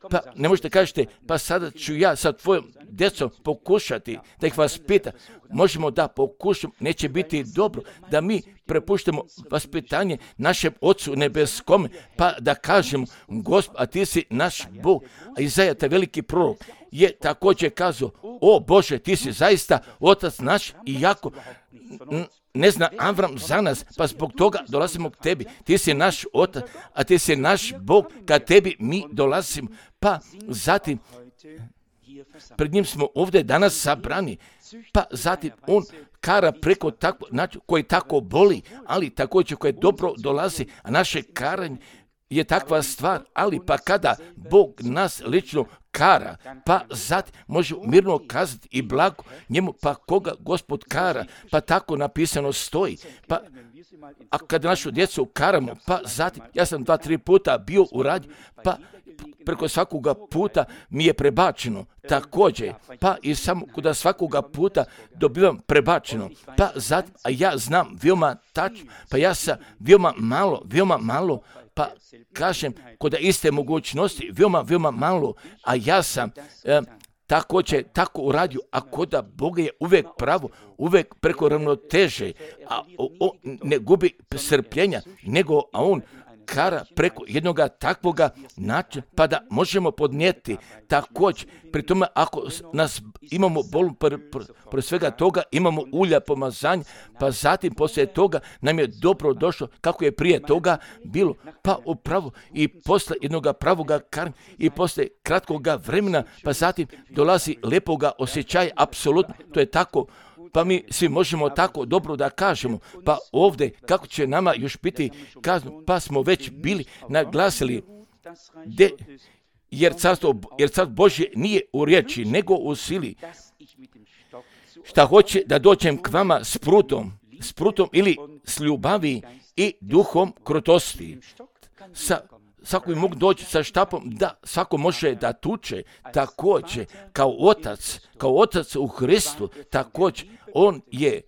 Speaker 1: Pa ne možete kažete, pa sada ću ja sa tvojom djecom pokušati da ih vaspita. Možemo da pokušamo, neće biti dobro da mi prepuštamo vaspitanje našem Ocu nebeskome, pa da kažemo, Gospod, a ti si naš Bog. A Izaja, taj veliki prorok, je također kazao, o Bože, ti si zaista Otac naš, iako ne zna Avram za nas, pa zbog toga dolazimo k tebi. Ti si naš Otac, a ti si naš Bog, kad tebi mi dolazimo. Pa zatim, pred njim smo ovdje danas sabrani, pa zatim on kara preko tako, koji tako boli, ali također koje dobro dolazi, a naše karanje je takva stvar, ali pa kada Bog nas lično kara, pa zatim može mirno kazati i blago njemu, pa koga Gospod kara, pa tako napisano stoji, pa a kada našu djecu karamo, pa zatim, ja sam 2-3 puta bio u radnju, pa preko svakoga puta mi je prebačeno, također, pa i samo kod svakoga puta dobivam prebačeno, pa zatim, a ja znam veoma tačno, pa ja sam veoma malo, pa kažem, kod iste mogućnosti, veoma malo, a ja sam također tako uradio, a kod Boga je uvijek pravo, uvijek preko ravnoteže, a on ne gubi strpljenja, nego a on kara preko jednoga takvoga načina, pa da možemo podnijeti također. Pri tome, ako nas imamo bol, pored svega toga, imamo ulja pomazanja, pa zatim poslije toga nam je dobro došlo, kako je prije toga bilo, pa upravo i posle jednoga pravoga karma i posle kratkoga vremena, pa zatim dolazi lepoga osjećaja, apsolutno, to je tako. Pa mi svi možemo tako dobro da kažemo, pa ovdje kako će nama još biti kazno, pa smo već bili naglasili, jer carstvo Božje nije u riječi, nego u sili. Šta hoće da dođem k vama s prutom ili s ljubavi i duhom krotosti. Svako bi mogu doći sa štapom, da svako može da tuče, također kao otac u Hristu, također on je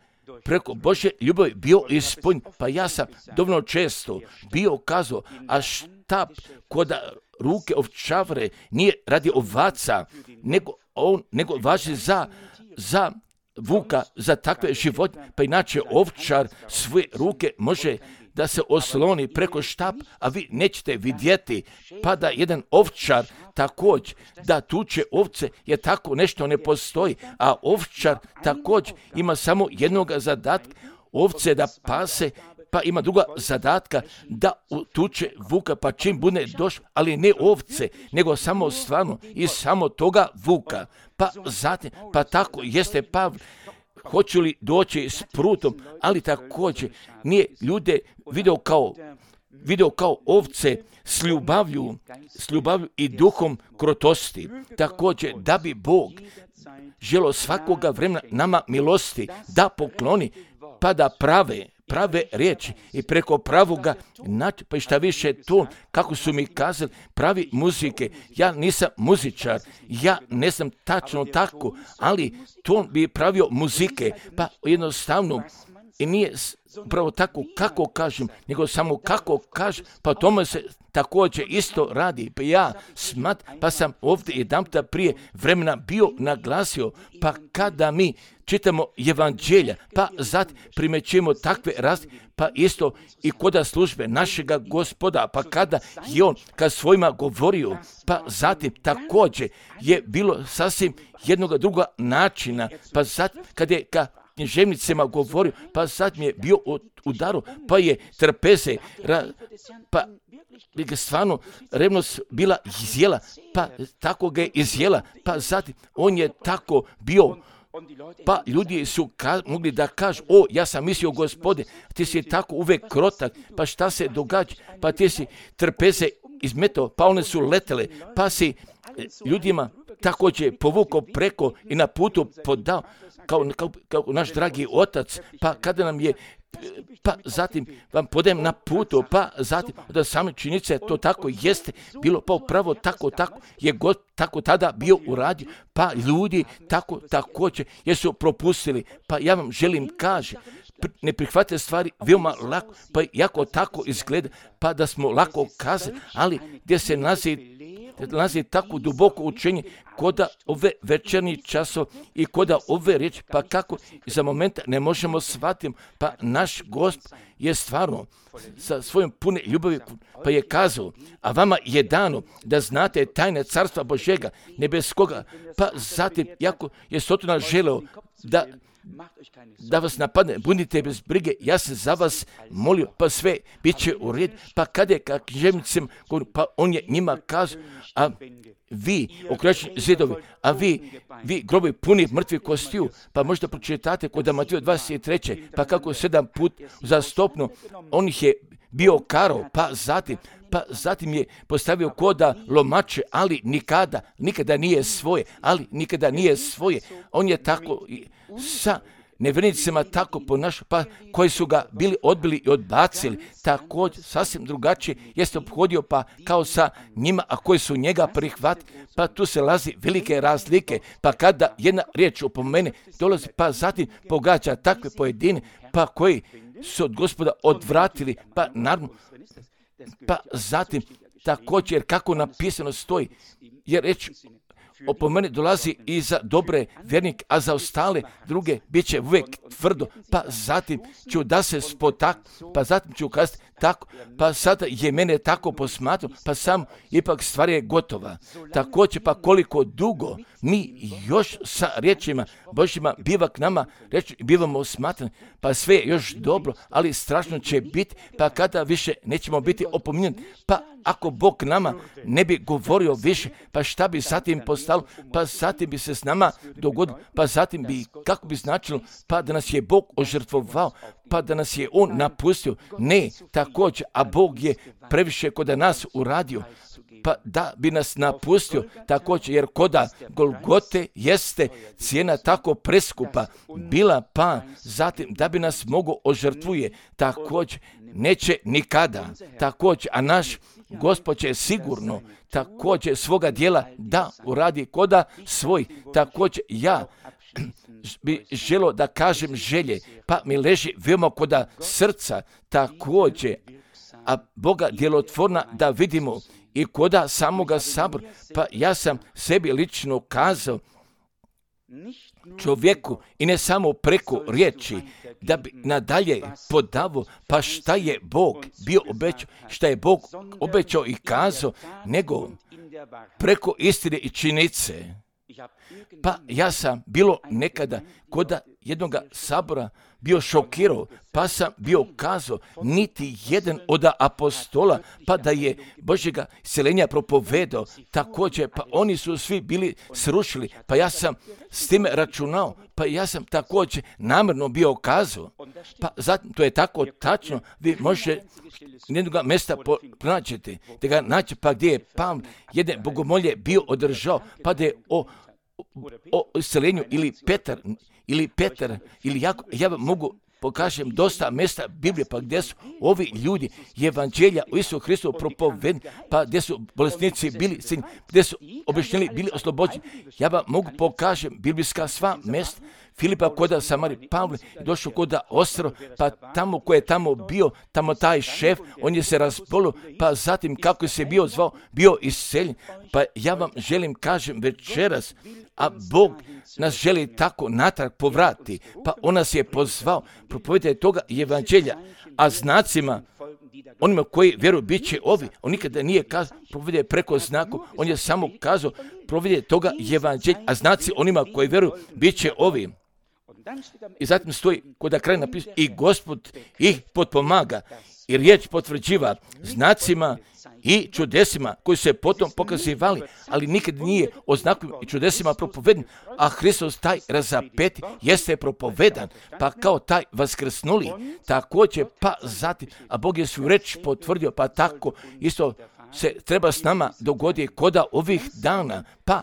Speaker 1: preko Božje ljubavi bio ispunjen. Pa ja sam dovoljno često bio kazao, a štap kod ruke ovčavre nije radi ovaca, nego važi za vuka, za takve životinje. Pa inače ovčar svoje ruke može da se osloni preko štap, a vi nećete vidjeti, pa da jedan ovčar također da tuče ovce, jer tako nešto ne postoji, a ovčar također ima samo jednog zadatka, ovce da pase, pa ima druga zadatka da tuče vuka, pa čim bude došao, ali ne ovce, nego samo stvarno i samo toga vuka. Pa zatim, pa tako jeste Pavle, hoću li doći s prutom, ali također nije ljude video kao ovce s ljubavlju i duhom krotosti. Također da bi Bog želio svakoga vremena nama milosti da pokloni, pa da prave riječi i preko pravoga načina, pa i šta više to, kako su mi kazali, pravi muzike. Ja nisam muzičar, ja ne znam tačno tako, ali to bi pravio muzike, pa jednostavno i nije upravo tako kako kažem, nego samo kako kažem, pa tome se također isto radi. Pa ja pa sam ovdje jedanputa prije vremena bio naglasio, pa kada mi čitamo evanđelja, pa zatim primećujemo takve razlike, pa isto i kod službe našega Gospoda, pa kada je on kad svojima govorio, pa zatim također je bilo sasvim jednog druga načina, pa zatim kad je ka književnicima govorio, pa sad mi je bio udaru, pa je trpeze, pa je stvarno revnost bila izjela, pa tako ga je izjela, pa zatim on je tako bio, pa ljudi su mogli da kažu, ja sam mislio Gospode, ti si tako uvek krotak, pa šta se događa, pa ti si trpeze izmetao, pa one su letele, pa si ljudima također povukao preko i na putu podao, kao naš dragi otac, pa kada nam je, pa zatim vam podajem na putu, pa zatim da same činjenice to tako jeste bilo, pa upravo tako je God tako tada bio uradio, pa ljudi također jesu propustili, pa ja vam želim kaži, ne prihvate stvari veoma lako, pa jako tako izgleda, pa da smo lako kazali, ali gdje se nalazi tako duboko učenje koda ove večernji časov i koda ove riječi, pa kako za momenta ne možemo shvatiti, pa naš Gospod je stvarno sa svojom pune ljubavi, pa je kazao, a vama je dano da znate tajne carstva Božjega, nebeskoga, pa zatim, jako je Sotona želeo da vas napadne, budite bez brige, ja se za vas molio, pa sve bit će u red, pa kada je ka književnicima, pa on je njima kazao, a vi, okraćeni zidovi, a vi grobovi puni mrtvih kostiju, pa možda pročitate kod Mateo 23. pa kako 7 put uzastopno on ih je bio karao, pa zatim je postavio koda lomače, ali nikada nije svoje, on je tako sa nevjernicima tako ponašao, pa koji su ga bili odbili i odbacili, također sasvim drugačije jeste obhodio, pa kao sa njima, a koji su njega prihvatili, pa tu se lazi velike razlike, pa kada jedna riječ opomene dolazi, pa zatim pogađa takve pojedine, pa koji su od Gospoda odvratili, pa naravno, pa zatim također kako napisano stoji, jer reč
Speaker 2: opomene dolazi i za dobre vjernike, a za ostale druge bit će uvijek tvrdo, pa zatim ću da se pa zatim ću kazati tako, pa sada je mene tako posmatrao, pa sam ipak stvar je gotova. Također, pa koliko dugo mi još sa riječima Božjima biva k nama, bivamo smatrani, pa sve je još dobro, ali strašno će biti, pa kada više nećemo biti opominjeni, pa ako Bog nama ne bi govorio više, pa šta bi zatim postalo, pa zatim bi se s nama dogodilo, pa zatim bi, kako bi značilo, pa da nas je Bog ožrtvovao, pa da nas je On napustio. Ne, također, a Bog je previše kod nas uradio, pa da bi nas napustio također, jer koda Golgote jeste cijena tako preskupa bila, pa zatim da bi nas mogo ožrtvuje, također neće nikada, također, a naš Gospod će sigurno također svoga dijela da uradi koda svoj. Također ja bi želio da kažem želje, pa mi leži veoma koda srca također, a Boga djelotvorna da vidimo i koda samoga sabora. Pa ja sam sebi lično kazao, čovjeku, i ne samo preko riječi, da bi nadalje podavo, pa šta je Bog bio obećao, šta je Bog obećao i kazao, nego preko istine i činjenice. Pa ja sam bilo nekada koda jednoga sabora bio šokirao, pa sam bio kazao, niti jedan od apostola, pa da je Božjega iseljenja propovedao, također, pa oni su svi bili srušili, pa ja sam s time računao, pa ja sam također namjerno bio kazao, pa zatim to je tako tačno, vi možete jednoga mjesta pronaćete, da ga naći, pa gdje je Pavle jedne bogomolje bio održao, pa da je o iseljenju ili Petar, ili ja vam mogu pokažem dosta mjesta Biblije, pa gdje su ovi ljudi evanđelja o Isusu Hristu propovedni, pa gdje su bolesnici bili, gdje su objašnjeni bili oslobođeni. Ja vam mogu pokažem biblijska sva mjesta. Filipa koda Samari, Pavle je došao koda Ostro, pa tamo ko je tamo bio, tamo taj šef, on je se razbolio, pa zatim kako se bio zvao, bio iseljen. Pa ja vam želim kažem večeras, a Bog nas želi tako natrag povrati, pa on nas je pozvao, propovedite toga evanđelja, a znacima onima koji vjeruju bit će ovi. On nikada nije kazao propovede preko znaku, on je samo kazao propovede toga evanđelja, a znaci onima koji vjeruju bit će ovi. I zatim stoji kod kraja napisano, i Gospod ih potpomaga i riječ potvrđiva znacima i čudesima koji se potom pokazivali, ali nikad nije o znakovima i čudesima propovedan, a Hristos taj razapeti jeste propovedan, pa kao taj vaskrsnuli, također pa zatim, a Bog je svoju reč potvrdio, pa tako isto se treba s nama dogoditi koda ovih dana, pa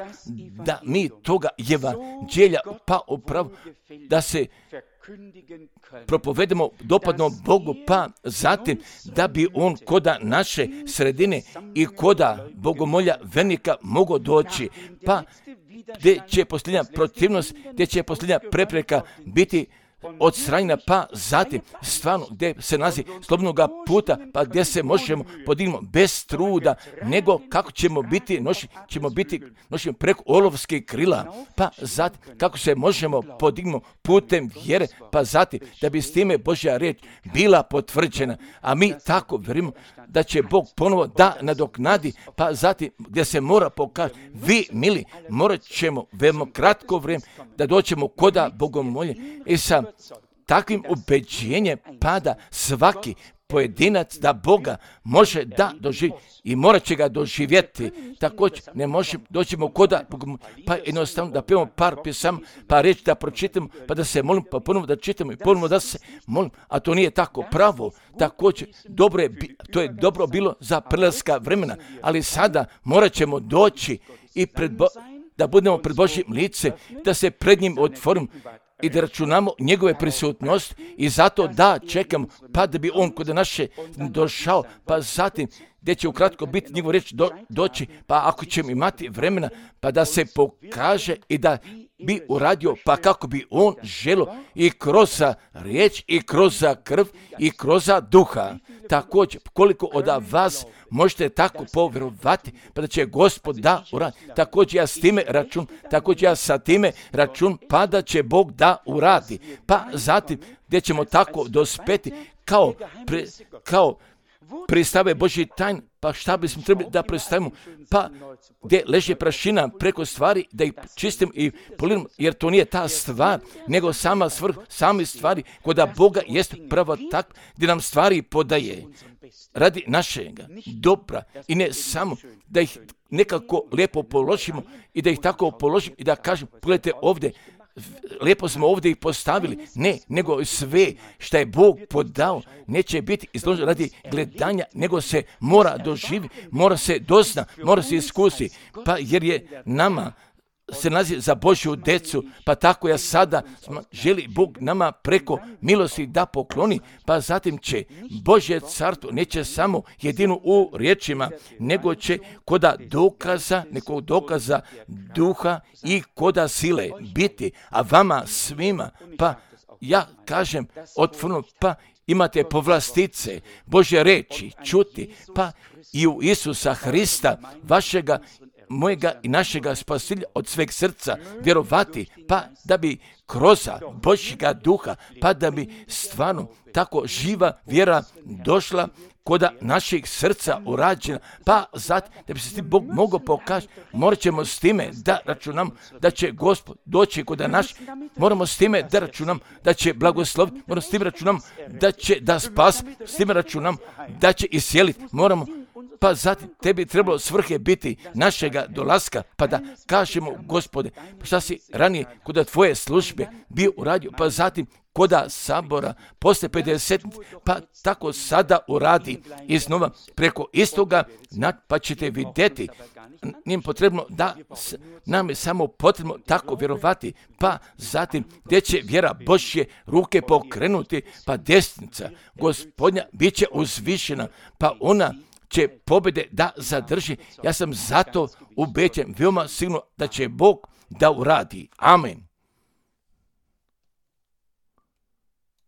Speaker 2: da mi toga evanđelja, pa upravo da se propovedemo dopadno Bogu, pa zatim da bi on koda naše sredine i koda bogomolja vernika mogao doći, pa gdje će posljednja protivnost, gdje će posljednja prepreka biti odstranjena, pa zatim stvarno gdje se nalazi slobodnoga puta, pa gdje se možemo podignuti bez truda, nego kako ćemo biti nošeni preko olovskih krila, pa zatim kako se možemo podignuti putem vjere, pa zatim da bi s time Božja riječ bila potvrđena, a mi tako vjerujemo da će Bog ponovo da nadoknadi, pa zatim gdje se mora pokazati, vi mili, morat ćemo veoma kratko vrijeme da doćemo koda bogomolje i sa takvim ubeđenjem pada svaki pojedinac da Boga može da doživi i morat će ga doživjeti. Također ne možemo doćemo koda, pa jednostavno da pevamo par pjesama, pa reći da pročitamo, pa da se molimo, pa ponovno da čitamo i ponovno da se molimo, a to nije tako pravo. Također to je dobro bilo za prelaska vremena, ali sada morat ćemo doći i da budemo pred Božjim lice, da se pred njim otvorimo i da računamo njegove prisutnosti i zato da čekamo, pa da bi on kod naše došao, pa zatim
Speaker 1: gdje će ukratko biti njegov riječ doći, pa ako ćemo imati vremena, pa da se pokaže i da bi uradio, pa kako bi on želio i kroz riječ, i kroz krv, i kroz duha. Također, koliko od vas možete tako povjerovati, pa da će Gospod da uradi. Također ja s time račun, također ja sa time račun, pa da će Bog da uradi. Pa zatim, gdje ćemo tako dospeti, kao predstave Božji tajn, pa šta bismo trebali da predstavimo, pa gdje leže prašina preko stvari, da ih čistim i poliramo, jer to nije ta stvar, nego same stvari, koda Boga jest pravo tak, gdje nam stvari podaje radi našega dobra i ne samo da ih nekako lijepo položimo i da ih tako položimo i da kažem, pogledajte ovdje, lijepo smo ovdje ih postavili, ne, nego sve što je Bog podao neće biti izloženo radi gledanja, nego se mora doživjeti, mora se dozna, mora se iskusi, pa jer je nama se nalazi za Božju decu, pa tako ja sada želi Bog nama preko milosti da pokloni, pa zatim će Božje carstvo neće samo jedino u riječima, nego će koda nekog dokaza duha i koda sile biti, a vama svima, pa ja kažem otvoreno, pa imate povlastice Božje reči čuti, pa i u Isusa Hrista, vašega, mojega i našega spasilja od sveg srca vjerovati, pa da bi kroz Božjega duha, pa da bi stvarno tako živa vjera došla koda naših srca urađena, pa zato da bi se s tim Bog mogao pokazati, morat ćemo s time da računam da će Gospod doći koda naš, moramo s time da računam da će blagosloviti, moramo s tim računam da će da spas, s time računam da će isjeliti, moramo, pa zatim tebi trebalo svrhe biti našega dolaska, pa da kažemo, Gospode, šta si ranije koda tvoje službe bio uradio, pa zatim koda sabora posle 50, pa tako sada uradi iznova preko istoga, pa ćete vidjeti, nije potrebno da nam je samo potrebno tako vjerovati, pa zatim gdje će vjera Božje ruke pokrenuti, pa desnica Gospodnja bit će uzvišena, pa ona će pobjede da zadrži. Ja sam zato ubeđen, veoma sigurno da će Bog da uradi. Amen.